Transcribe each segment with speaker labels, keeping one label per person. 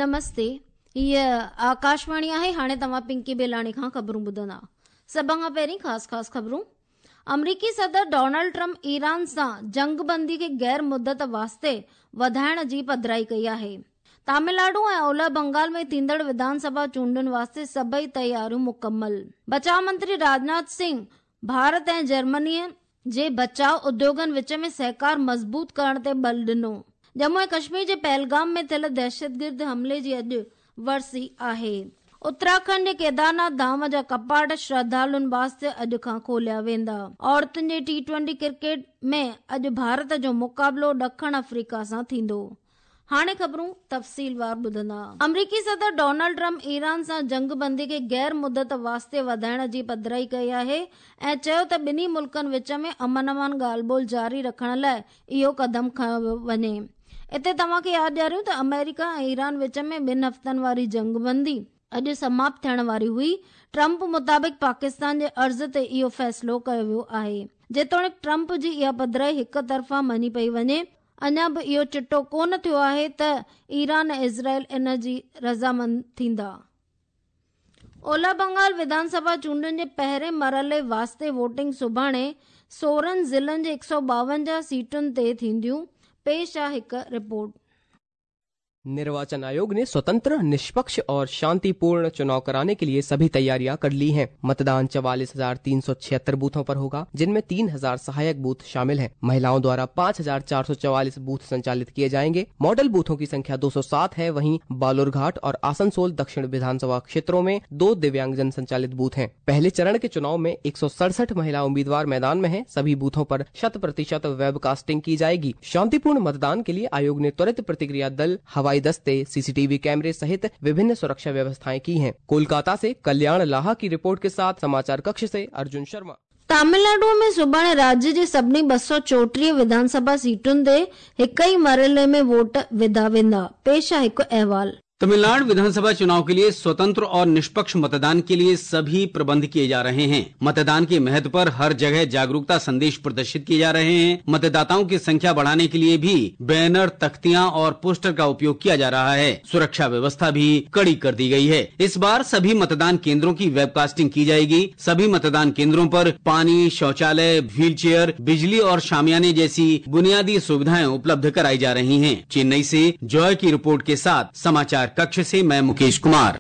Speaker 1: نمستي هيء آڪاشواڻي آهي هاڻي توهان پنڪي بيلاڻي کان خبرون ٻڌندا سڀ کان پهرين خاص خاص خبرون آمريڪي صدر ڊونلڊ ٽرمپ ايران سان جنگ بندي کي غير مدت واسطي وڌائڻ جي پڌرائي ڪئي آهي تامل ناڊو ۽ اولهه بنگال ۾ ٿيندڙ وڌان سڀا چونڊن واسطي سڀئي تياريون مڪمل بچاء منتري راجناٿ سنگهه ڀارت ۽ جرمني جي بچاء اديوگن وچ ۾ سهڪار مضبوط ڪرڻ تي ٻل ڏنو ڄمون ۽ ڪشمير جي پهلگام ۾ ٿيل دهشتگرد حملي جي اڄ ورسي آهي. اتراکنڊ جي ڪيدارناٿ ڌام جا ڪپاٽ شرڌالن واسطي اڄ کان کوليا ويندا. عورتن جي ٽي ٽوئنٽي ڪرڪيٽ ۾ اڄ ڀارت جو مقابلو ڏکڻ آفريڪا سان ٿيندو. هاڻي خبرون تفصيلوار ٻڌندا. آمريڪي صدر ڊونلڊ ٽرمپ ايران سان جنگ بندي کي غير مدت واسطي وڌائڻ جي پڌرائي ڪئي آهي ۽ چيو ته ٻنهي ملڪن وچ ۾ امن امان ڳالهه ٻولهه جاري رکڻ لاء اهو قدم کنيو ويو وڃي. اتي توهان کي ياد ڏياريون ته آمريڪا ۽ ايران وچ ۾ ٻن هفتن واري جنگ بندي اڄ سماپت ٿيڻ واري هئي. ٽرمپ مطابق پاڪستان جي عرض تي اهو فيصلو ڪيو ويو آهي. جيتوڻيڪ ٽرمپ جي اها پڌرائي هڪ طرفا مڃي پئي وڃي، اڃا به اهو چٽو ڪونه ٿيو آهي ته ايران ۽ اسرائيل ان جي رضامند ٿيندا. اولهه بنگال وڌان سڀا چونڊن جي پهرين مرحلي واسطي ووٽنگ سڀاڻي 16 ضلعن جي 152 سيٽن تي ٿينديون، پيش آ هڪ رپورٽ.
Speaker 2: निर्वाचन आयोग ने स्वतंत्र, निष्पक्ष और शांतिपूर्ण चुनाव कराने के लिए सभी तैयारियां कर ली हैं। मतदान 44,376 बूथों पर होगा, जिनमें 3,000 सहायक बूथ शामिल हैं। महिलाओं द्वारा 5,444 बूथ संचालित किए जाएंगे। मॉडल बूथों की संख्या 207 है। वहीं बालूरघाट और आसनसोल दक्षिण विधानसभा क्षेत्रों में दो दिव्यांगजन संचालित बूथ हैं। पहले चरण के चुनाव में 167 महिला उम्मीदवार मैदान में हैं। सभी बूथों पर शत प्रतिशत वेबकास्टिंग की जाएगी। शांतिपूर्ण मतदान के लिए आयोग ने त्वरित प्रतिक्रिया दल, हवाई दस्ते, सीसीटीवी कैमरे सहित विभिन्न सुरक्षा व्यवस्थाएं की हैं। कोलकाता से कल्याण लाहा की रिपोर्ट के साथ समाचार कक्ष से अर्जुन शर्मा।
Speaker 1: तमिलनाडु में सुभाणे राज्य जे सभिनी 234 विधानसभा सीटुनि ते हिक ई मरहले में वोट विधा वेंदा। पेश आहे हिकु अहवाल।
Speaker 3: तमिलनाडु विधानसभा चुनाव के लिए स्वतंत्र और निष्पक्ष मतदान के लिए सभी प्रबंध किए जा रहे हैं। मतदान के महत्व पर हर जगह जागरूकता संदेश प्रदर्शित किए जा रहे हैं। मतदाताओं की संख्या बढ़ाने के लिए भी बैनर, तख्तियां और पोस्टर का उपयोग किया जा रहा है। सुरक्षा व्यवस्था भी कड़ी कर दी गई है। इस बार सभी मतदान केंद्रों की वेबकास्टिंग की जाएगी। सभी मतदान केंद्रों पर पानी, शौचालय, व्हीलचेयर, बिजली और शामियाने जैसी बुनियादी सुविधाएं उपलब्ध कराई जा रही हैं। चेन्नई से जॉय की रिपोर्ट के साथ समाचार कक्ष से मैं मुकेश कुमार।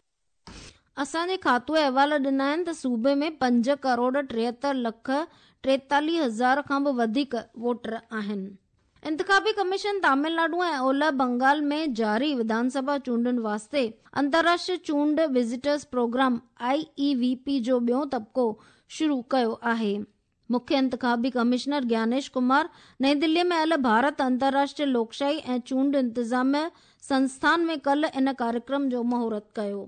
Speaker 1: असांजे खातू अहवाल ॾिना आहिनि त सूबे में 5 करोड़ 73 लख 43 हज़ार खां बि वधीक वोटर आहिनि। इंतखाबी कमीशन तमिलनाडु ऐं ओलह बंगाल में जारी विधानसभा चूंडुनि वास्ते अंतर्राष्ट्रीय चूंड विजिटर्स प्रोग्राम IEVP जो ॿियो तबिको शुरू कयो आहे। मुख्य इंतखाबी कमिश्नर ज्ञानेश कुमार नई दिल्ली में आयल भारत अंतर्राष्ट्रीय लोकशाही ऐं चूंड इंतज़ामिया संस्थान में कल इन कार्यक्रम जो मुहूर्त कयो।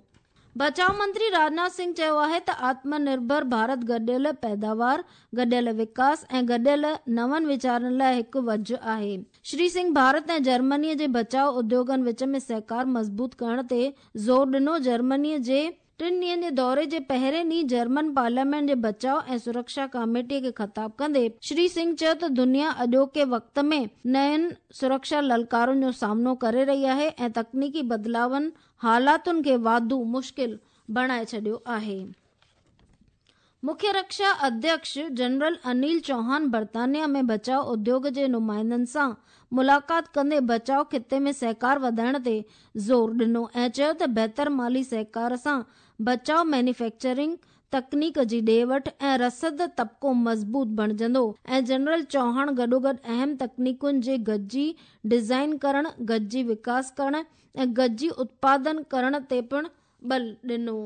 Speaker 1: बचाव मंत्री राजनाथ सिंह चयो आहे त आत्मनिर्भर भारत गॾियल पैदावार, गॾियल विकास ऐं गॾियल नवनि वीचारनि लाइ हिकु वजह आहे। श्री सिंह भारत ऐं जर्मनीअ जे बचाव उद्योगनि विच में सहकार मज़बूत करण ते ज़ोर ॾिनो। जर्मनीअ जे टिनि ॾींहंनि जे दौरे जे पहिरें ॾींहुं जर्मन पार्लियामेंट जे बचाव ऐं सुरक्षा कमेटीअ खे ख़िताब कंदे श्री सिंह चयो त दुनिया अॼोके वक़्त में नयुनि सुरक्षा ललकारुनि जो सामनो करे रही आहे ऐं तकनीकी बदिलावनि हालातुनि खे वाधू मुश्किल बणाए छॾियो आहे। मुख्य रक्षा अध्यक्ष जनरल अनिल चौहान बर्तानिया में बचाव उद्योग जे नुमाइंदनि सां मुलाक़ात कंदे बचाव ख़िते में सहकार वधाइण ते ज़ोर ॾिनो ऐं चयो त बहितर माली सहकार सां बचाव मैन्युफैक्चरिंग, तकनीक जी ॾे वठि ऐं रसद तबिको मज़बूत बणिजंदो ऐं जनरल चौहान गॾोगॾु अहम तकनीकुनि जे गॾिजी डिज़ाइन करण, गॾिजी विकास करण ऐं गॾिजी उत्पादन करण ते पिणु बल ॾिनो।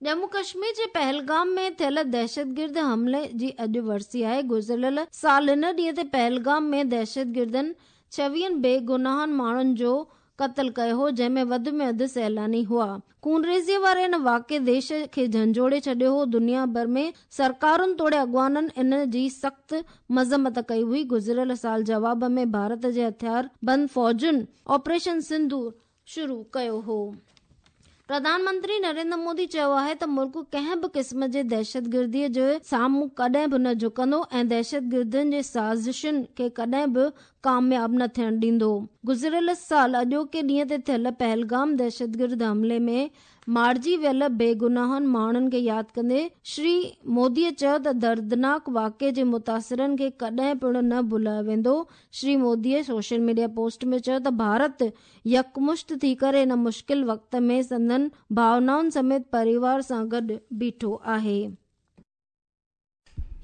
Speaker 1: ॼम्मू कश्मीर जे पहलगाम में थियल दहशतगिर्द हमले जी अॼु वरसी आहे। गुज़िरियल साल हिन ॾींहं ते पहलगाम में दहशतगिर्दनि 26 बेगुनाह माण्हुनि जो क़तल कयो हो, जंहिंमें वधि में वधि सैलानी हुआ। खूनरेज़ीअ वारे हिन वाक़े देश खे झंझोड़े छॾियो हो। दुनिया भर में सरकारुनि तोड़े अॻवाननि इन जी सख़्तु मज़म्मत कई हुई। गुज़िरियल साल जवाब में भारत जे हथियार बंद फ़ौजुनि ऑपरेशन सिंदूर शुरू कयो हो। پرڌان منتري نريندر مودي چيو آهي ته ملڪ ڪنهن به قسم جي دهشتگرديء جي سامهون ڪڏهن به نه جهڪندو ۽ دهشتگردن جي سازشن کي ڪڏهن به ڪامياب نه ٿيڻ ڏيندو. گذريل سال اڄوڪي ڏينهن تي ٿيل پهلگام دهشتگرد حملي ۾ مارجي ويل بيگناهن ماڻهن کي ياد ڪندي شري مودي چيو ته دردناڪ واقعي جي متاثرن کي ڪڏهن پڻ نه ڀلايو ويندو. Shri Modi social media post ۾ چيو ته ڀارت يڪمشت ٿي ڪري هن مشڪل وقت ۾ سندن ڀاونائن سميت پريوار سان گڏ بيٺو آهي.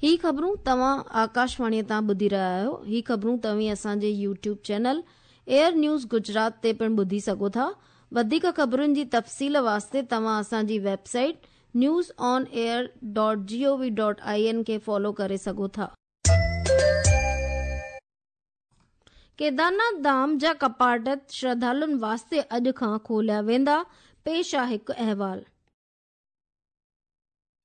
Speaker 1: هي خبرون توهان آڪاشواڻي تان ٻڌي رهيا آهيو. هي خبرون توهين اسان جي YouTube channel AIR news Gujarat تي پڻ ٻڌي سگهو ٿا. وڌيڪ خبرن جي تفصيل واسطي توهان اسان جي website news on air dot G O V dot I N کي فالو ڪري سگهو ٿا. ڪيدارناٿ ڌام جا ڪپاٽ شرڌالن واسطي اڄ کان کوليا ويندا، پيش آ هڪ احوال.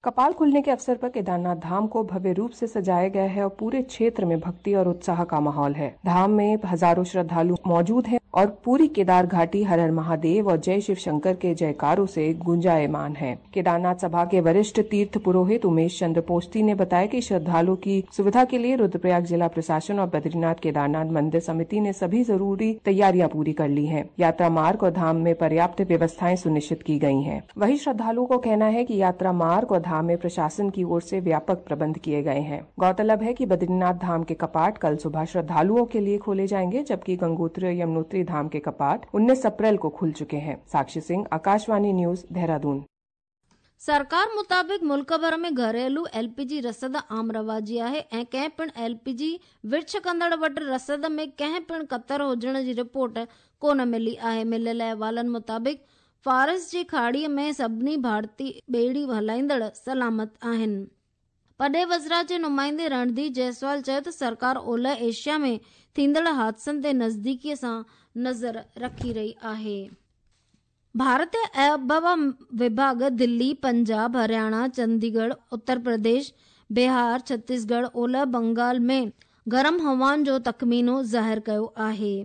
Speaker 4: कपाल खुलने के अवसर पर केदारनाथ धाम को भव्य रूप से सजाया गया है और पूरे क्षेत्र में भक्ति और उत्साह का माहौल है। धाम में हजारों श्रद्धालु मौजूद हैं और पूरी केदार घाटी हर हर महादेव और जय शिव शंकर के जयकारों से गुंजायमान है। केदारनाथ सभा के वरिष्ठ तीर्थ पुरोहित उमेश चंद्र पोस्ती ने बताया कि श्रद्धालुओं की सुविधा के लिए रुद्रप्रयाग जिला प्रशासन और बद्रीनाथ केदारनाथ मंदिर समिति ने सभी जरूरी तैयारियां पूरी कर ली हैं। यात्रा मार्ग और धाम में पर्याप्त व्यवस्थाएं सुनिश्चित की गई हैं। वहीं श्रद्धालुओं को कहना है कि यात्रा मार्ग और धाम में प्रशासन की ओर से व्यापक प्रबंध किए गए हैं। गौरतलब है कि बद्रीनाथ धाम के कपाट कल सुबह श्रद्धालुओं के लिए खोले जाएंगे, जबकि गंगोत्री और यमुनोत्री धाम के कपाट 19 अप्रैल को खुल चुके हैं। साक्षी सिंह, आकाशवाणी न्यूज, देहरादून।
Speaker 1: सरकार मुताबिक़ मुल्क भर में घरेलू एलपीजी रसद आम रवाजी आहे ऐं कंहिं पिणु एलपीजी विर्छ कंदड़ वटि रसद में कंहिं पिणु कतर हुजण जी रिपोर्ट कोन मिली आहे। मिलियल अहवालनि मुताबिक़ फ़ारस जी खाड़ीअ में सभिनी भारतीय ॿेड़ी हलाईंदड़ सलामत आहिनि। पॾे वज़रात जे नुमाइंदे रणधीर जायसवाल चयो त सरकार ओलह एशिया में थींदड़ हादसनि ते नज़दीकीअ सां नज़र रखी रही आहे। भारतीय आबहवा विभाग दिल्ली, पंजाब, हरियाणा, चंडीगढ़, उत्तर प्रदेश, बिहार, छत्तीसगढ़, ओलह बंगाल में गरम हवाउनि जो तख़मीनो ज़ाहिर कयो आहे।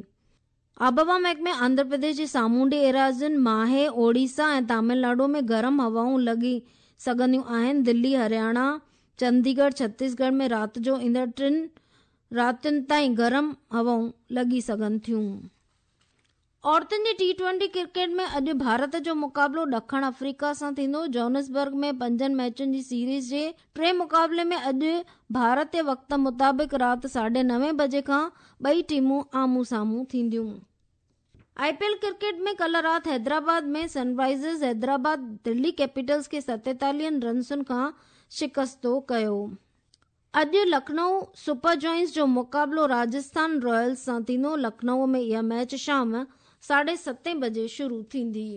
Speaker 1: आबहवा महकमे आंध्र प्रदेश जी सामुंडी एराज़ियुनि, माहे, ओडिशा ऐं तमिलनाडु में गरम हवाऊं लॻी सघंदियूं आहिनि। दिल्ली, हरियाणा, चंडीगढ़, छत्तीसगढ़ में राति जो ईंदड़ टिनि रातियुनि ताईं गरम हवाऊं लॻी सघनि थियूं। औरतुनि जी टी ट्वेंटी क्रिकेट में अॼु भारत जो मुक़ाबिलो ॾखण अफ्रीका सां थींदो। जोहान्सबर्ग में पंजनि मैचुनि जी सीरीज़ जे टे मुक़ाबले में अॼु भारतीय वक़्त मुताबिक़ राति 9:30 बजे खां ॿई टीमूं आम्हूं साम्हूं थींदियूं। आईपीएल क्रिकेट में कल राति हैदराबाद में सनराइज़र्स हैदराबाद दिल्ली कैपिटल्स खे 47 रन्सुनि खां शिकस्तो कयो। अॼु लखनऊ सुपर जॉइंट्स जो मुक़ाबिलो राजस्थान रॉयल्स सां थींदो। लखनऊ में इहा मैच शाम 7:30 बजे शुरू थींदी।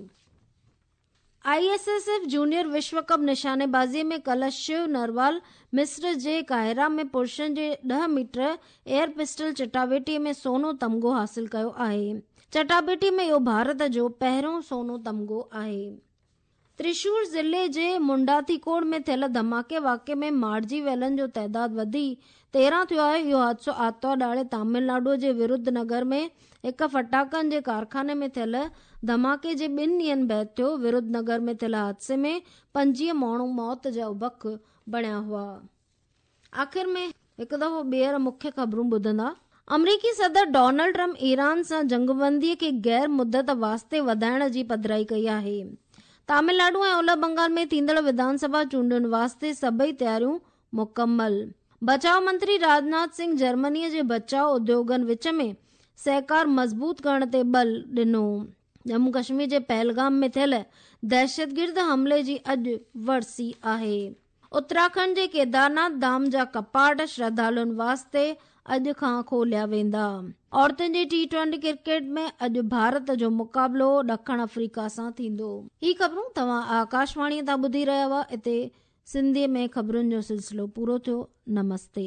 Speaker 1: आईएसएसएफ जूनियर विश्व कप निशानेबाज़ीअ में कल शिव नरवाल मिस्र जे काहिरा में पुरुषनि जे 10 मीटर एयर पिस्टल चटाबेटीअ में सोनो तमगो हासिल कयो आहे। चटाबेटी में इहो भारत जो पहिरियों सोनो तमगो आहे। त्रिशूर ज़िले जे मुंडाथीकोड में थियल धमाके वाक़े में मारिजी वियलनि जो तादाद वधी 13 थियो आहे। इहो हादिसो आतिवार ॾिहाड़े तमिलनाडु जे विरुधनगर में हिकु फटाकनि जे कारखाने में थियल धमाके जे ॿिनि ॾींहंनि बाद थियो। विरुधनगर में थियल हादसे में 25 माण्हू मौत जा बक बणिया हुआ। आख़िर में हिकु दफ़ो ॿीहर मुख्य ख़बरूं ॿुधंदा। अमरीकी सदर डोनाल्ड ट्रंप ईरान सां जंगबंदीअ खे गैर मुदत वास्ते वधाइण जी पधराई कई आहे। तमिलनाडु ऐं ओलह बंगाल में थींदड़ विधानसभा चूंडुनि वास्ते सभई तयारियूं मुकमल। बचाव मंत्री राजनाथ सिंह जर्मनीअ जे बचाव उद्योगनि विच में सहकार मज़बूत करण ते बल ॾिनो। जम्मू कश्मीर जे पहलगाम में थियल दहशतगिर्द हमले जी अॼु वरसी आहे। उत्तराखंड जे केदारनाथ धाम जा कपाट श्रद्धालुनि वास्ते अॼु खां खोलिया वेंदा। औरतुनि जी टी ट्वेंटी क्रिकेट में अॼु भारत जो मुक़ाबिलो ॾखण अफ्रीका सां थींदो। ही ख़बरूं तव्हां आकाशवाणीअ तां ॿुधी रहिया हुआ। हिते सिंधीअ में ख़बरुनि जो सिलसिलो पूरो थियो। नमस्ते।